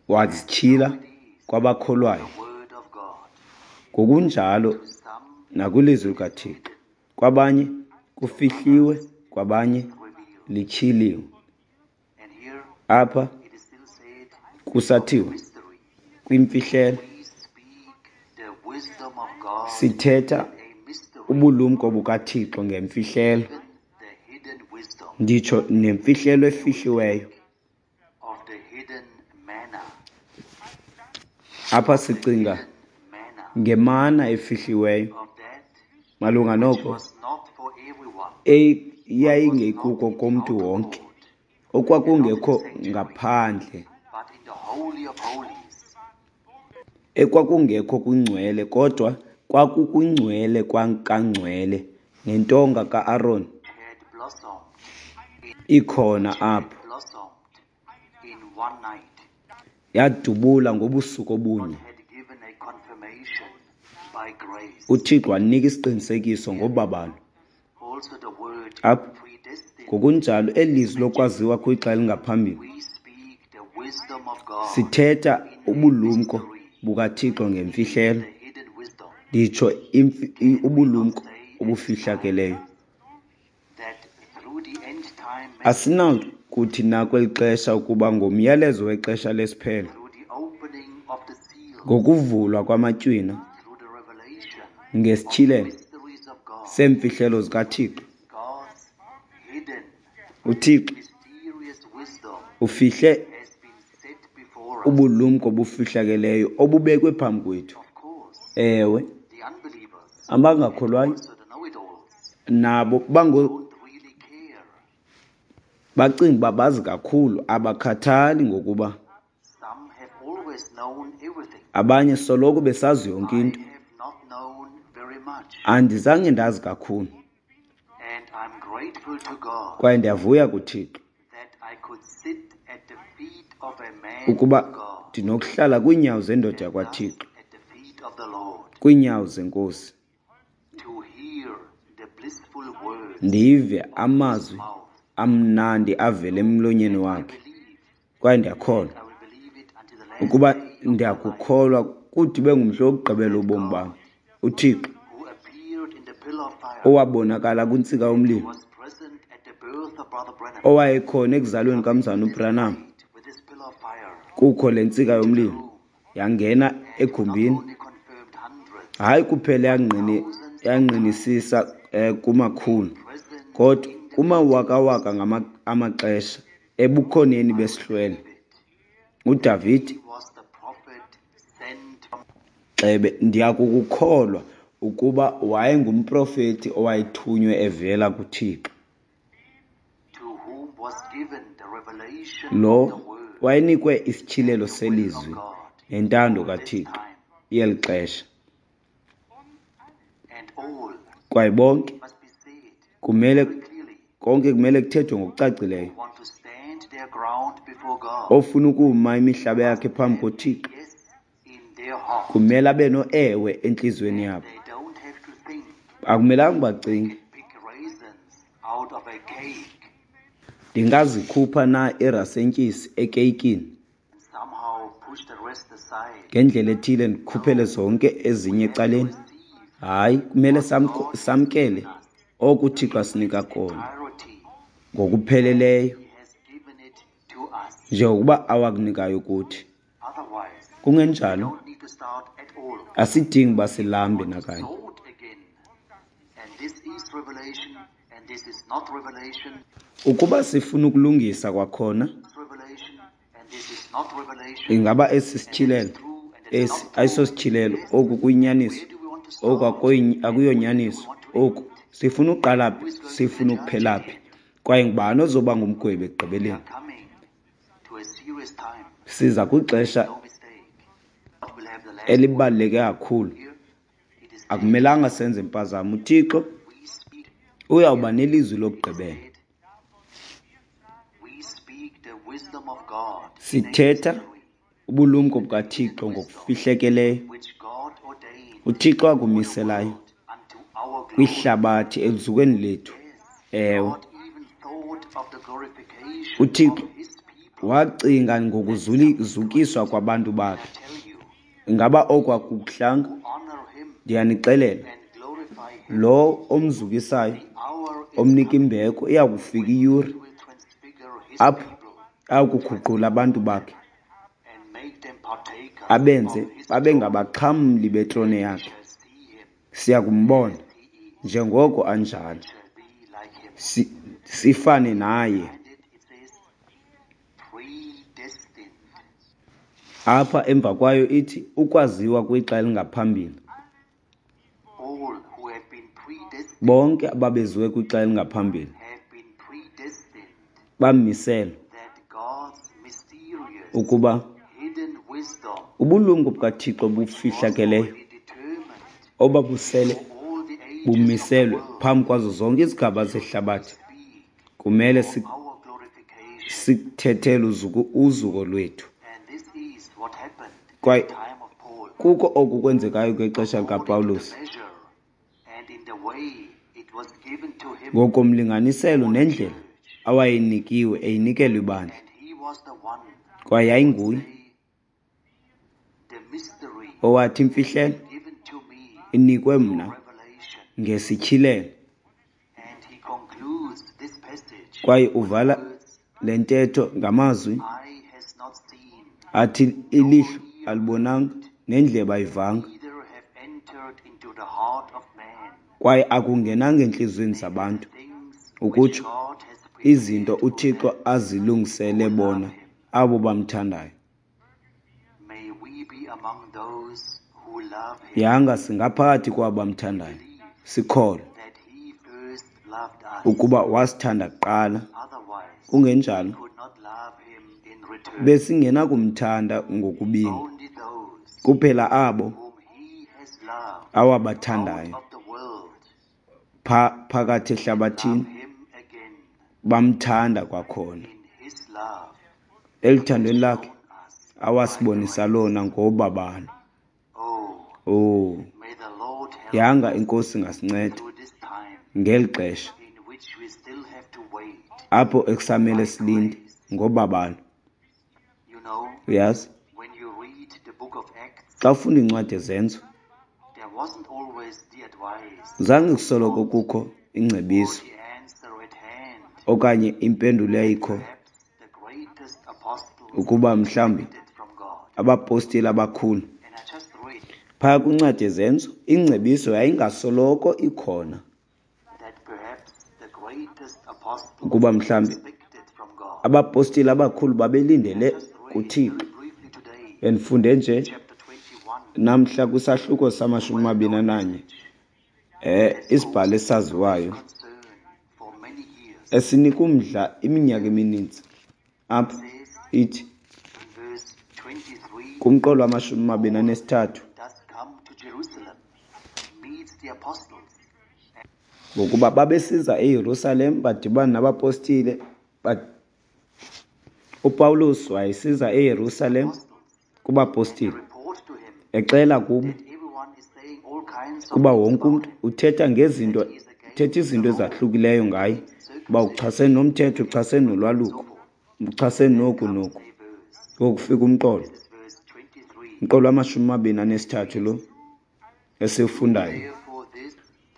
Speaker 2: wazityhila kwabakholwayo.
Speaker 1: The word of God.
Speaker 2: Ngokunjalo
Speaker 1: Some
Speaker 2: nakwilizwi likaThixo, kwabanye kufihliwe, kwabanye
Speaker 1: revealed.
Speaker 2: lityhiliwe.
Speaker 1: And here
Speaker 2: Apha
Speaker 1: it is still said,
Speaker 2: kusathiwa
Speaker 1: mystery.
Speaker 2: kwimfihlelo,
Speaker 1: We speak the wisdom of God,
Speaker 2: sithetha
Speaker 1: a mystery,
Speaker 2: ubulumko bukaThixo ngemfihlelo,
Speaker 1: even the hidden wisdom
Speaker 2: nditsho nemfihlelo efihliweyo.
Speaker 1: Of the hidden manna.
Speaker 2: Apha sicinga
Speaker 1: Manna
Speaker 2: ngemana efihliweyo
Speaker 1: of that
Speaker 2: malunga noko
Speaker 1: was not for everyone.
Speaker 2: Eyayingekuko komntu wonke, okwakungekho ngaphandle,
Speaker 1: But in the Holy of Holies,
Speaker 2: ekwakungekho kwingcwele, kodwa kwakukwingcwele kangcwele, nentonga ka-Aron
Speaker 1: had blossomed,
Speaker 2: ikhona apho,
Speaker 1: blossomed in one night,
Speaker 2: yadubula ngobusuku obunye.
Speaker 1: Had given a confirmation by grace.
Speaker 2: UThixo wanika isiqinisekiso ngobabalo.
Speaker 1: Also the word
Speaker 2: Apha
Speaker 1: predestined.
Speaker 2: ngokunjalo eli lizwi lokwaziwa kwixa elingaphambili,
Speaker 1: We speak the wisdom of God,
Speaker 2: sithetha ubulumko bukaThixo ngemfihlelo,
Speaker 1: the hidden wisdom,
Speaker 2: nditsho imfi- i- ubulumko obufihlakeleyo.
Speaker 1: That through the end time
Speaker 2: Asinakuthi na kweli xesha ukuba ngomyalezo wexesha lesiphelo,
Speaker 1: through the opening of the seal,
Speaker 2: ngokuvulwa kwamatywina,
Speaker 1: through the revelation
Speaker 2: ngesityhilelo
Speaker 1: mysteries of God,
Speaker 2: seemfihlelo zikaThixo,
Speaker 1: God's hidden
Speaker 2: uThixo
Speaker 1: mysterious wisdom
Speaker 2: ufihle
Speaker 1: has been set before us.
Speaker 2: Ubulumko obufihlakeleyo obubekwe phambi kwethu.
Speaker 1: Of course,
Speaker 2: Ewe,
Speaker 1: the unbelievers,
Speaker 2: abangakholwayo
Speaker 1: also the know-it-alls,
Speaker 2: nabo bango
Speaker 1: don't really care.
Speaker 2: Bacinga uba bazi kakhulu, abakhathali ngokuba
Speaker 1: Some have always known everything.
Speaker 2: Abanye soloko besazi yonke
Speaker 1: I
Speaker 2: into.
Speaker 1: Have not known very much,
Speaker 2: Andizange ndazi kakhulu,
Speaker 1: and I'm grateful to God
Speaker 2: kwaye ndiyavuya kuThixo
Speaker 1: that I could sit at the feet of a man
Speaker 2: ukuba
Speaker 1: of God,
Speaker 2: ndinokuhlala kwiinyawo zendoda yakwaThixo,
Speaker 1: at the feet of the Lord,
Speaker 2: kwiinyawo zeNkosi,
Speaker 1: to hear the blissful words
Speaker 2: ndive amazwi
Speaker 1: mouth.
Speaker 2: Amnandi avela emlonyeni wakhe.
Speaker 1: Believe,
Speaker 2: Kwaye ndiyakholwa
Speaker 1: I will believe it until the last
Speaker 2: ukuba
Speaker 1: day of my life.
Speaker 2: ndiyakukholwa kude ibe ngumhla wokugqibela ubomi bam. UThixo
Speaker 1: Who appeared in the pillar of fire,
Speaker 2: owabonakala kwintsika yomlilo,
Speaker 1: was present at the birth of Brother Branham,
Speaker 2: owayekhona ekuzalweni kamzana uBranham,
Speaker 1: with this pillar of fire,
Speaker 2: kukho le ntsika yomlilo yangena egumbini,
Speaker 1: only confirmed hundreds,
Speaker 2: hayi kuphela yangqini yangqinisisa eh, kumakhulu,
Speaker 1: present
Speaker 2: kodwa kumawakawaka ngama- amaxesha ebukhoneni besihlwele. UDavide
Speaker 1: was the prophet sent from
Speaker 2: Xebe, ndiyakukholwa ukuba wayengumprofeti owayethunywe evela kuThixo,
Speaker 1: to whom was given the revelation
Speaker 2: lo
Speaker 1: of the word
Speaker 2: wayenikwe isityhilelo selizwi nentando kaThixo yeli xesha.
Speaker 1: And all
Speaker 2: Kwaye bonke
Speaker 1: must be said
Speaker 2: kumele
Speaker 1: clearly
Speaker 2: konke kumele kuthethwe ngokucacileyo.
Speaker 1: Want to stand their ground before God.
Speaker 2: Ofuna ukuma imihlaba yakhe phambi koThixo
Speaker 1: Yes, in
Speaker 2: Kumele abe no-ewe entliziyweni yabo. Akumelanga bacinge. Ndingazikhupha na iirasentyisi ekeyikini? Ngendlela ethile ndikhuphele zonke ezinye ecaleni? Hayi, kumele samkele oko uThixo asinika kona ngokupheleleyo, njengokuba awakunikayo kuthi. Kungenjalo, asidingi uba silambe nakanye. Ukuba sifuna ukulungisa kwakhona, ingaba esi sityhilelo, esi ayisosityhilelo, oku kuyinyaniso, oku akuyonyaniso, oku sifuna uqala phi, sifuna ukuphela phi, kwaye ngubani ozoba ngumgwebi ekugqibeleni? Siza kwixesha elibaluleke kakhulu. Akumelanga senze impazamo. UThixo uyawuba nelizwi lokugqibela. Sithetha ubulumko bukaThixo ngokufihlekeleyo, uThixo akumiselayo kwihlabathi eluzukweni lethu. Ewe, uThixo wacinga ngokuzukiswa kwabantu bakhe. Ingaba oku akukuhlanga? Ndiyanixelela, lo omzukisayo, omnika imbeko, iya kufika iyure apho akuguqula abantu bakhe, abenze babe ngabaxhamli betrone yakhe. Siya kumbona njengoko anjalo, sifane naye. Apha emva kwayo ithi ukwaziwa kwixa elingaphambili. Bonke ababeziwe kwixa elingaphambili bamiselwa ukuba ubulumko bukaThixo bufihlakeleyo obabusele bumiselwe phambi kwazo zonke izigaba zehlabathi kumele sikuthethele uzuko lwethu. Kwaye kukho oku kwenzekayo ngexesha likaPawulos, ngokomlinganiselo nendlela awayenikiwe eyinikelwa ibandla, kwaye yayinguye owathi imfihlelo inikwe mna ngesityhilelo. Kwaye uvala le ntetho ngamazwi athi ilihlo alibonanga nendlebe ayivanga, kwaye akungenanga entliziyweni zabantu, ukutsho izinto uThixo azilungisele bona abo bamthandayo. Yanga singaphakathi kwabo bamthandayo, sikholwe ukuba wasithanda kuqala. Kungenjalo besingenakumthanda ngokubini, kuphela abo awabathandayo phakathi ehlabathini bamthanda kwakhona eluthandweni lakhe awasibonisa lona ngobabalo. Oh, yanga iNkosi ingasinceda ngeli xesha apho ekusamele silinde ngobabalo. Uyazi, xa ufunda incwadi yeZenzo, zange kusoloko kukho ingcebiso okanye impendulo yayikho ukuba mhlawumbi abapostile abakhulu. Phaya kwincwadi yeZenzo, ingcebiso yayingasoloko ikhona ukuba mhlawumbi abapostile abakhulu babelindele kuThixo. Bendifunde nje namhla kwisahluko samashumi amabini ananye, eh isibhalo esaziwayo esinika umdla iminyaka emininzi. Apha ithi kumqolo wamashumi amabini anesithathu, ngokuba babesiza eYerusalem badibana nabapostile. UPawulos wayesiza eYerusalem kubapostile, Exela kubo kuba wonke umntu uthetha ngezinto uthetha izinto ezahlukileyo ngaye, uba uchasene nomthetho, uchasene nolwaluko, uchasene noku noku. Ngoku kufika umqolo, umqolo wamashumi amabini anesithathu lo esiwufundayo.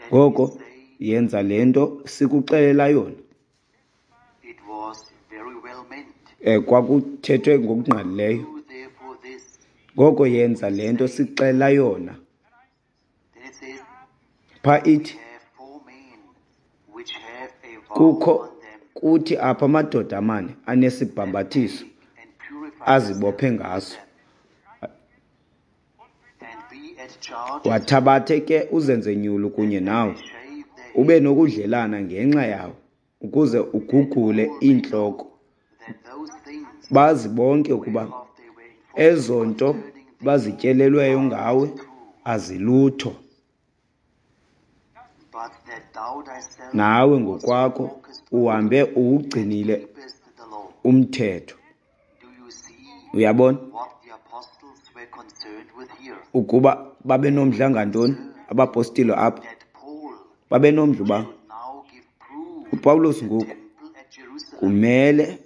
Speaker 2: Ngoko yenza le nto sikuxelela yona. Eh, kwakuthethwe ngokungqalileyo. Ngoko yenza le nto sikuxelela yona. Pha ithi kukho kuthi apha amadoda amane anesibhambathiso azibophe ngaso. Wathabathe ke uzenze nyulu kunye nawe, ube nokudlelana ngenxa yawo, ukuze ugugule iintloko. Bazi bonke ukuba ezo nto bazityelelweyo ngawe azilutho. Nawe ngokwakho uhambe uwugcinile umthetho. Uyabona ukuba babenomdla ngantoni abapostile apha? Babenomdla uba uPawulos ngoku kumele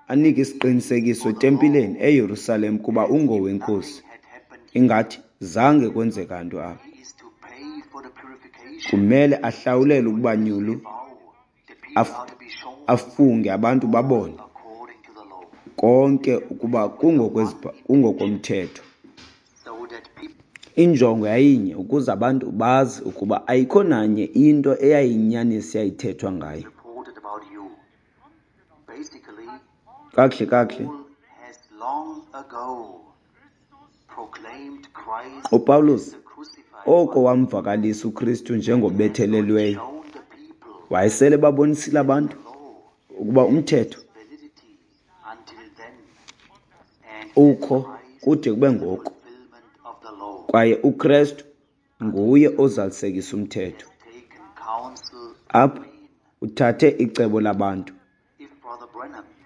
Speaker 2: anike isiqinisekiso etempileni eYerusalem kuba ungowenkosi. Ingathi zange kwenzeka nto apha. Kumele ahlawulele ukuba nyulu, afunge abantu babone konke ukuba kungokomthetho. Injongo yayinye, ukuze abantu bazi ukuba ayikho nanye into eyayiyinyaniso eyayithethwa ngaye. Kakuhle kakuhle uPawulos oko wamvakalisa uKristu njengobethelelweyo, wayesele babonisile abantu ukuba umthetho ukho kude kube ngoku, kwaye uKristu nguye ozalisekisa umthetho. Apha uthathe icebo labantu.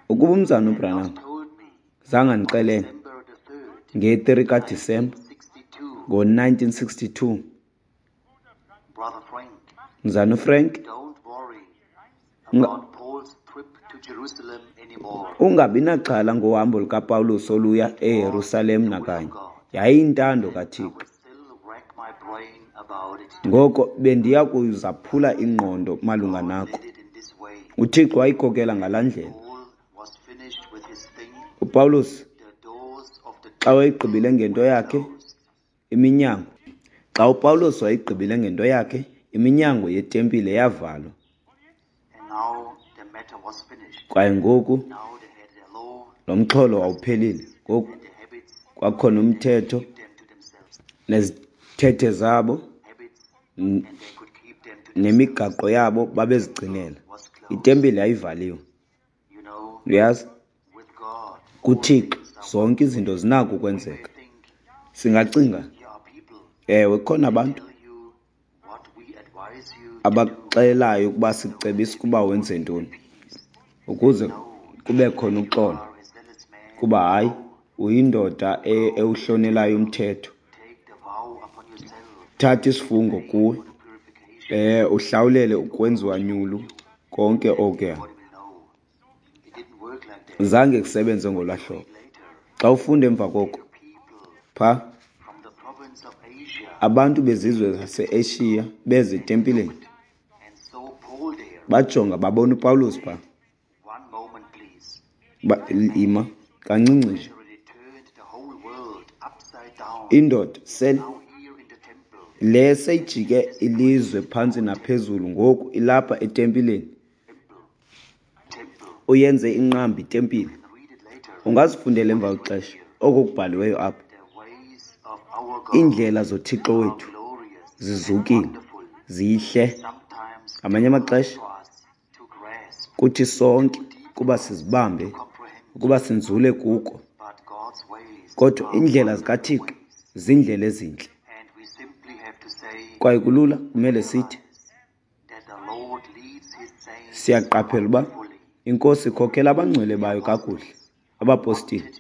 Speaker 2: Ukuba umzana uBranham zange andixelele nge-three kaDisemba ngo-nineteen sixty-two, mzana uFrank, ungabi naxhala ngohambo lukaPawulos oluya eYerusalem nakanye. Yayiyintando kaThixo. Ngoko bendiya kuzaphula ingqondo malunga nako. UThixo wayikhokela ngalaa ndlela. UPawulos xa wayegqibile ngento yakhe iminyango, xa uPawulos wayegqibile ngento yakhe iminyango yetempile yavalwa. Kwaye ngoku lo mxholo wawuphelile. Ngoku kwakhona umthetho nezithethe zabo nemigaqo yabo babezigcinela. Itempile yayivaliwe. Uyazi, kuThixo zonke izinto zinako ukwenzeka. Singacinga, ewe, kukhona abantu abaxelayo ukuba sikucebisa ukuba wenze ntoni ukuze kube khona uxolo, kuba hayi uyindoda ewuhlonelayo umthetho. Thatha isifungo kuwe, eh uhlawulele ukwenziwa nyulu konke okuya. Zange kusebenze ngolwa hlobo. Xa ufunda emva koko pha abantu bezizwe zase-Asia beze etempileni, bajonga babona uPawulos pha. Ba, ima kancinci nje. Indoda sele le seyijike ilizwe phantsi naphezulu ngoku ilapha etempileni. Uyenze inqambi itempile. Ungazifundela emva kwexesha oko kubhaliweyo apha. Iindlela zoThixo wethu zizukile, zihle. Ngamanye amaxesha kuthi sonke kuba sizibambe, ukuba sinzule kuko. Kodwa iindlela zikaThixo ziindlela ezintle. Kwaye kulula kumele sithi siyaqaphela uba iNkosi ikhokhela abangcwele bayo kakuhle. Abapostile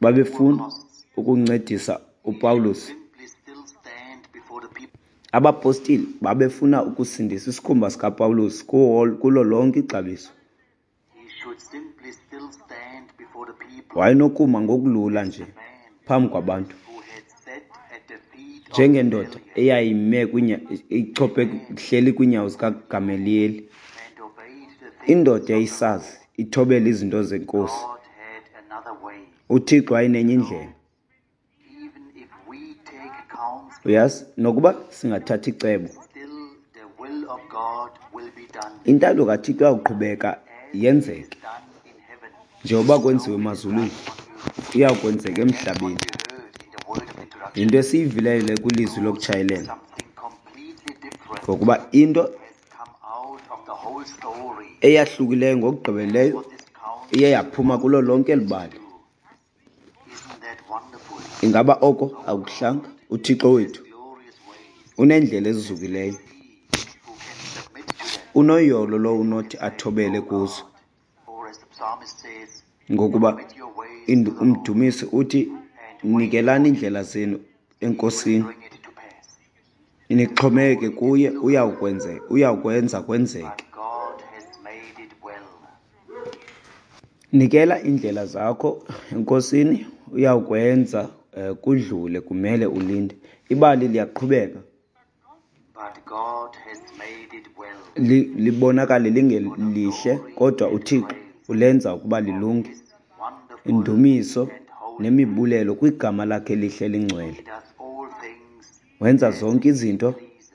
Speaker 2: babefuna ukuncedisa uPawulos.
Speaker 1: Simply still stand before the people.
Speaker 2: Abapostile babefuna ukusindisa isikhumba sikaPawulos kuwo- kulo lonke ixabiso.
Speaker 1: He should simply still stand before the people.
Speaker 2: Wayenokuma ngokulula nje
Speaker 1: Man
Speaker 2: phambi kwabantu
Speaker 1: who had sat at the feet of
Speaker 2: njengendoda
Speaker 1: Gamaliel
Speaker 2: eyayime kwinya- ichophe ihleli kwiinyawo zikaGamaliyeli.
Speaker 1: and obeyed the things
Speaker 2: Indoda
Speaker 1: of the
Speaker 2: eyayisazi ithobela izinto zeNkosi.
Speaker 1: God had another way.
Speaker 2: UThixo wayenenye indlela.
Speaker 1: Even if we take counsel,
Speaker 2: Uyazi, nokuba singathatha icebo,
Speaker 1: still the will of God will be done.
Speaker 2: Intando kaThixo iyawuqhubeka yenzeke.
Speaker 1: Done in heaven.
Speaker 2: Njengoba kwenziwe emazulwini, iyawukwenzeka emhlabeni.
Speaker 1: We heard in the word of introduction
Speaker 2: Yinto esiyivileyo le kwilizwi lokutshayelela,
Speaker 1: something completely different
Speaker 2: ngokuba into
Speaker 1: has come out of the whole story.
Speaker 2: eyahlukileyo ngokugqibeleleyo
Speaker 1: What this counsel
Speaker 2: iye yaphuma kulo lonke eli bali.
Speaker 1: isn't that wonderful?
Speaker 2: Ingaba oko akuhlanga? UThixo wethu
Speaker 1: Glorious ways.
Speaker 2: uneendlela ezizukileyo.
Speaker 1: He who can submit to them.
Speaker 2: Unoyolo lowo unothi athobele kuzo,
Speaker 1: Or as the psalmist says,
Speaker 2: ngokuba
Speaker 1: commit your ways
Speaker 2: indu-
Speaker 1: to the Lord
Speaker 2: umdumisi uthi, nikelani iindlela zenu eNkosini,
Speaker 1: bring it to pass.
Speaker 2: nixhomekeke kuye, uyawukwenze uyawukwenza kwenzeke.
Speaker 1: But God has made it well.
Speaker 2: Nikela iindlela zakho eNkosini, uyawukwenza eh, kudlule, kumele ulinde. Ibali liyaqhubeka
Speaker 1: But God has made it well.
Speaker 2: li- libonakale lingelihle, kodwa uThixo ulenza ukuba lilunge.
Speaker 1: His wonderful
Speaker 2: Indumiso
Speaker 1: and holy.
Speaker 2: nemibulelo kwigama lakhe elihle lingcwele.
Speaker 1: He does all things
Speaker 2: Wenza zonke izinto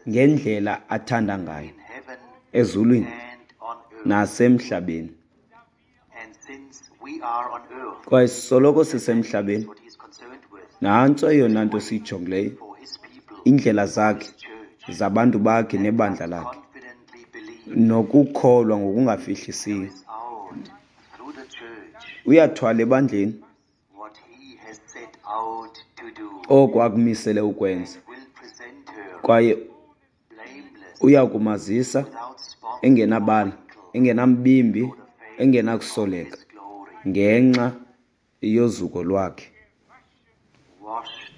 Speaker 2: ngendlela athanda ngayo,
Speaker 1: in heaven
Speaker 2: ezulwini
Speaker 1: and on earth.
Speaker 2: nasemhlabeni.
Speaker 1: And since we are on earth,
Speaker 2: Kwaye soloko sisemhlabeni,
Speaker 1: what he is concerned with
Speaker 2: nantso eyona nto siyijongileyo,
Speaker 1: for his people,
Speaker 2: iindlela zakhe
Speaker 1: his church,
Speaker 2: zabantu bakhe nebandla lakhe,
Speaker 1: confidently believe
Speaker 2: nokukholwa ngokungafihlisiyo.
Speaker 1: is out through the church
Speaker 2: Uyathwala ebandleni
Speaker 1: what he has set out to do
Speaker 2: oko akumisele ukwenza,
Speaker 1: will present her
Speaker 2: kwaye
Speaker 1: blameless,
Speaker 2: uya kumazisa
Speaker 1: without spot
Speaker 2: engenabala, engenambimbi, engenakusoleka
Speaker 1: his glory,
Speaker 2: ngenxa yozuko lwakhe,
Speaker 1: washed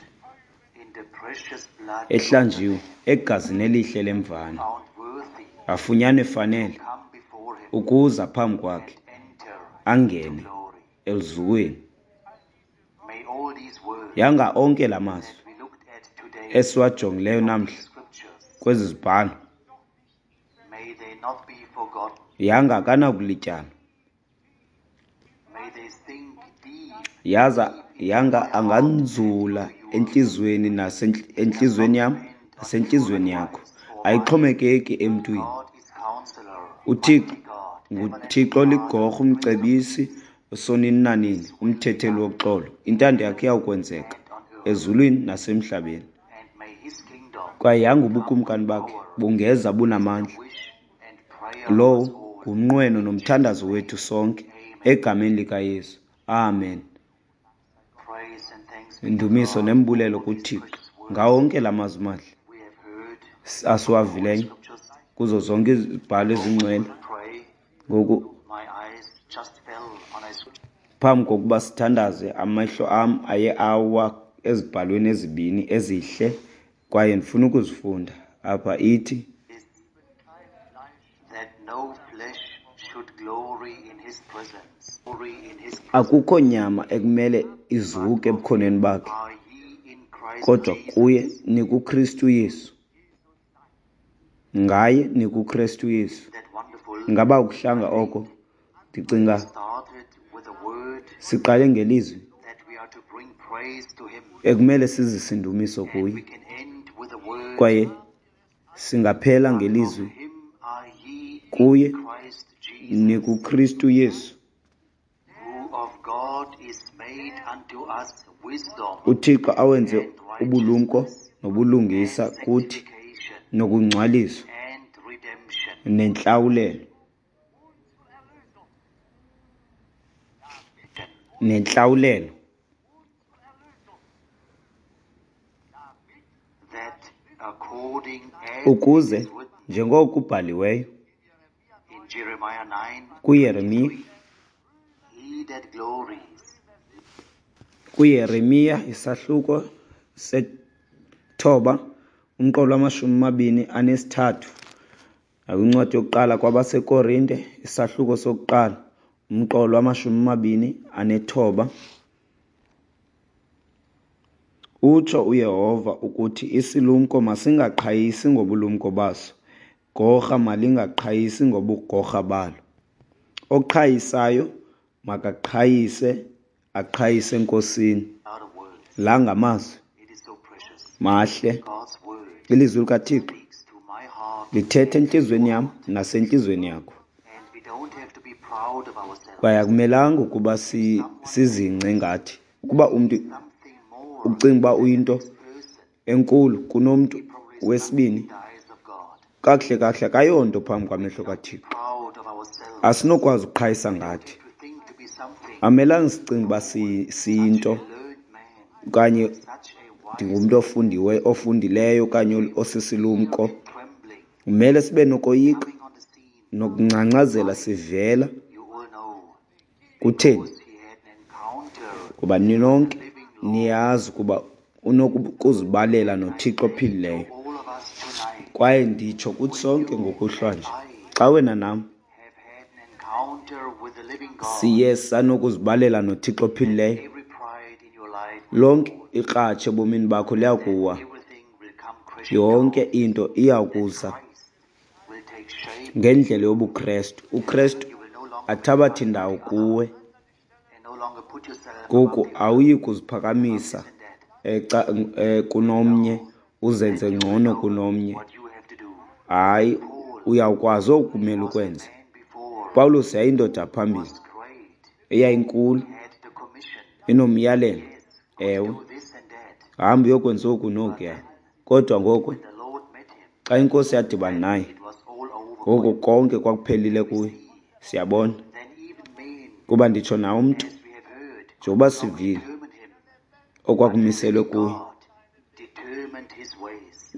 Speaker 1: in the precious blood,
Speaker 2: ehlanjiwe egazini elihle lemvana,
Speaker 1: found worthy
Speaker 2: afunyanwe fanele
Speaker 1: come before him
Speaker 2: ukuza phambi kwakhe,
Speaker 1: and enter
Speaker 2: angene
Speaker 1: glory.
Speaker 2: eluzukweni.
Speaker 1: May all these words
Speaker 2: Yanga onke la mazwi
Speaker 1: we looked at today
Speaker 2: esiwajongileyo namhla
Speaker 1: scriptures,
Speaker 2: kwezi zibhalo,
Speaker 1: may they not be forgotten.
Speaker 2: yanga akanakulityalwa.
Speaker 1: May they sink deep
Speaker 2: Yaza yanga anganzula entliziyweni nasentliziyweni yam nasentliziyweni yakho. Ayixhomekeki emntwini.
Speaker 1: God is counselor,
Speaker 2: UThixo
Speaker 1: mighty God,
Speaker 2: nguThixo ligorha, umcebisi, usonini nanini, umthetheli woxolo. Intando yakhe iyawukwenzeka ezulwini nasemhlabeni.
Speaker 1: and may his kingdom
Speaker 2: Kwaye yanga ubukumkani bakhe bungeza bunamandla.
Speaker 1: wish and prayer of
Speaker 2: Lowo
Speaker 1: us all.
Speaker 2: ngumnqweno nomthandazo wethu sonke egameni likaYesu. Amen.
Speaker 1: Praise and thanks be to
Speaker 2: Indumiso
Speaker 1: God
Speaker 2: nembulelo
Speaker 1: for these
Speaker 2: kuThixo
Speaker 1: precious words
Speaker 2: ngawo onke la mazwi mahle
Speaker 1: we have heard
Speaker 2: asiwavileyo
Speaker 1: scriptures.
Speaker 2: kuzo zonke izibhalo ezingcwele.
Speaker 1: Pray.
Speaker 2: Ngoku
Speaker 1: My eyes just fell on a scripture
Speaker 2: phambi kokuba sithandaze, amehlo am aye awa ezibhalweni ezibini ezihle kwaye ndifuna ukuzifunda apha. Ithi
Speaker 1: is that no flesh should glory in his presence. Glory in his presence.
Speaker 2: Akukho nyama ekumele izuke ebukhoneni bakhe,
Speaker 1: Are ye in Christ
Speaker 2: kodwa
Speaker 1: Jesus,
Speaker 2: kuye nikuKristu Yesu, ngaye nikuKristu Yesu.
Speaker 1: That wonderful
Speaker 2: Ingaba ukuhlanga oko? Ndicinga
Speaker 1: started with a word
Speaker 2: siqale ngelizwi
Speaker 1: that we are to bring praise to him.
Speaker 2: Ekumele sizise indumiso
Speaker 1: And we
Speaker 2: kuye,
Speaker 1: can end with a word
Speaker 2: kwaye singaphela ngelizwi
Speaker 1: of him are ye
Speaker 2: kuye
Speaker 1: in Christ Jesus,
Speaker 2: nikuKristu Yesu,
Speaker 1: who of God is made unto us wisdom
Speaker 2: uThixo awenze ubulumko nobulungisa kuthi,
Speaker 1: sanctification
Speaker 2: nokungcwaliswa
Speaker 1: and redemption,
Speaker 2: nentlawulelo nentlawulelo
Speaker 1: that according as
Speaker 2: ukuze
Speaker 1: it is written
Speaker 2: njengoko kubhaliweyo
Speaker 1: in Jeremiah nine
Speaker 2: kuYeremiya
Speaker 1: he that glories,
Speaker 2: KuYeremiya isahluko sethoba umqolo wamashumi amabini anesithathu, nakwincwadi yokuqala kwabaseKorinte isahluko sokuqala umqolo wamashumi amabini anethoba. Utsho uYehova ukuthi isilumko masingaqhayisi ngobulumko baso, gorha malingaqhayisi ngobugorha balo. Oqhayisayo makaqhayise, aqhayise eNkosini. La ngamazwi mahle. Ilizwi likaThixo lithetha entliziyweni yam nasentliziyweni yakho. Kwaye akumelanga ukuba sizingce ngathi. Ukuba umntu ucinga uba uyinto enkulu kunomntu wesibini, kakuhle kakuhle akayonto phambi kwamehlo kaThixo. Asinokwazi ukuqhayisa ngathi. Amelanga sicinge uba siyinto okanye ndingumntu ofundiweyo, ofundileyo okanye osisilumko. Kumele sibe nokoyika nokungcangcazela sivela. Kutheni? Kuba ninonke niyazi ukuba unokuzibalela noThixo ophilileyo. Kwaye nditsho kuthi sonke ngokuhlwa nje, xa wena nam siye sanokuzibalela noThixo ophilileyo, lonke ikratshi ebomini bakho liyakuwa, yonke into iyakuza ngendlela yobuKrestu. UKrestu athabathe indawo kuwe. Ngoku awuyi kuziphakamisa kunomnye, uzenze ngcono kunomnye. Hayi, uyawukwazi okumele ukwenze. Pawulos yayindoda phambili eyayinkulu, inomyalelo. Ewe, hamba uyokwenza oku nokuya. Kodwa ngoku xa iNkosi yadibana naye, ngoku konke kwakuphelile kuye. Siyabona kuba nditsho nawe umntu, njengoba sivile okwakumiselwe kuye,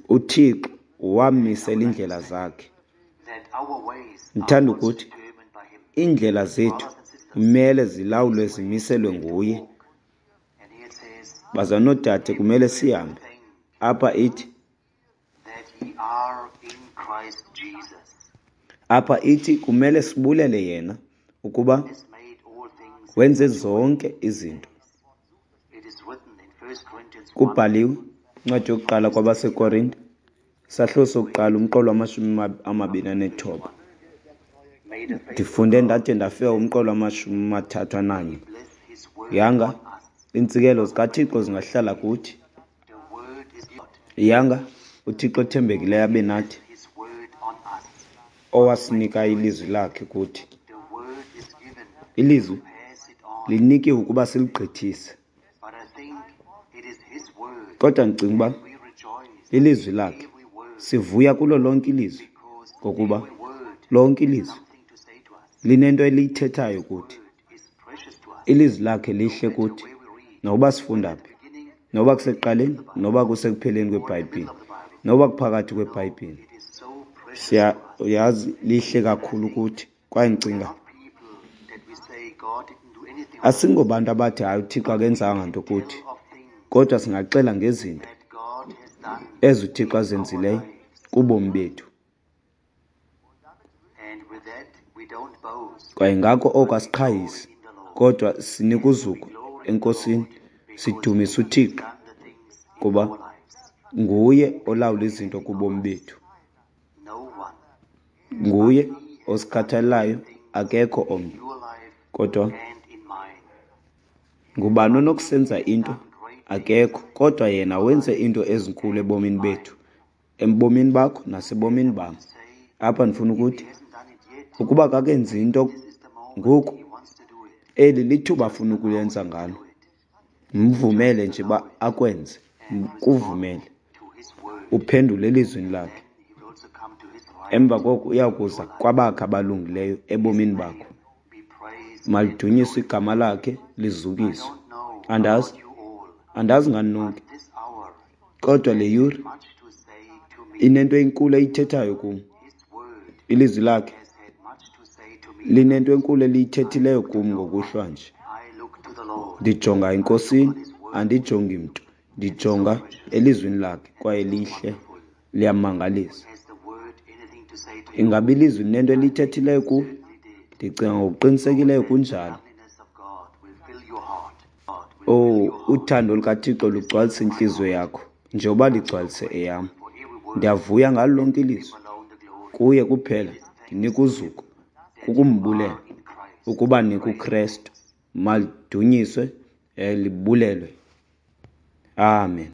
Speaker 2: uThixo wamisela iindlela zakhe. Ndithanda ukuthi iindlela zethu kumele zilawulwe, zimiselwe nguye. Bazalwane noodade, kumele sihambe. Apha ithi apha ithi kumele sibulele yena ukuba wenze zonke izinto. Kubhaliwe incwadi yokuqala kwabaseKorinte, isahluko sokuqala umqolo wamashumi amabini anethoba. Ndifunde ndade ndafika umqolo wamashumi amathathu ananye. Yanga iintsikelelo zikaThixo zingahlala kuthi. Yanga uThixo othembekileyo abe nathi, owasinika ilizwi lakhe kuthi. Ilizwi linikiwe ukuba siligqithise. Kodwa ndicinga uba lilizwi lakhe. Sivuya kulo lonke ilizwi, ngokuba lonke ilizwi linento eliyithethayo kuthi. Ilizwi lakhe lihle kuthi, noba sifunda phi, noba kusekuqaleni, noba kusekupheleni kweBhayibhile, noba kuphakathi kweBhayibhile. Siyayazi lihle kakhulu kuthi. Kwaye ndicinga asingobantu abathi hayi uThixo akenzanga nto kuthi, kodwa singaxela ngezinto ezi uThixo azenzileyo kubomi bethu. Kwaye ngako oko asiqhayisi, kodwa sinika uzuko eNkosini, sidumisa uThixo kuba nguye olawula izinto kubomi bethu. Nguye osikhathalelayo, akekho omnye. Kodwa ngubani onokusenza into? Akekho. Kodwa yena wenze into ezinkulu ebomini bethu, ebomini bakho nasebomini bam. Apha ndifuna ukuthi ukuba akakenzi into ngoku, eli lithuba afuna ukuyenza ngalo. Mvumele nje uba akwenze, kuvumele uphendule elizwini lakhe. Emva koko uyakuza kwabakhe abalungileyo ebomini bakho. Malidunyiswe igama lakhe, lizukiswe. Andazi, andazi ngani nonke, kodwa le yure inento enkulu eyithethayo kum. Ilizwi lakhe linento enkulu eliyithethileyo kum ngokuhlwa nje. Ndijonga eNkosini, Andijongi mntu, ndijonga elizwini lakhe, kwaye lihle, liyamangalisa. Ingaba ilizwi linento eliyithethileyo kuwe? Ndicinga ngokuqinisekileyo kunjalo. Owu, uthando lukaThixo lugcwalisa intliziyo yakho njengoba ligcwalise eyam. Ndiyavuya ngalo lonke ilizwi. Kuye kuphela ndinika uzuko, kukumbulela ukuba nikuKrestu. Malidunyiswe, libulelwe. Amen.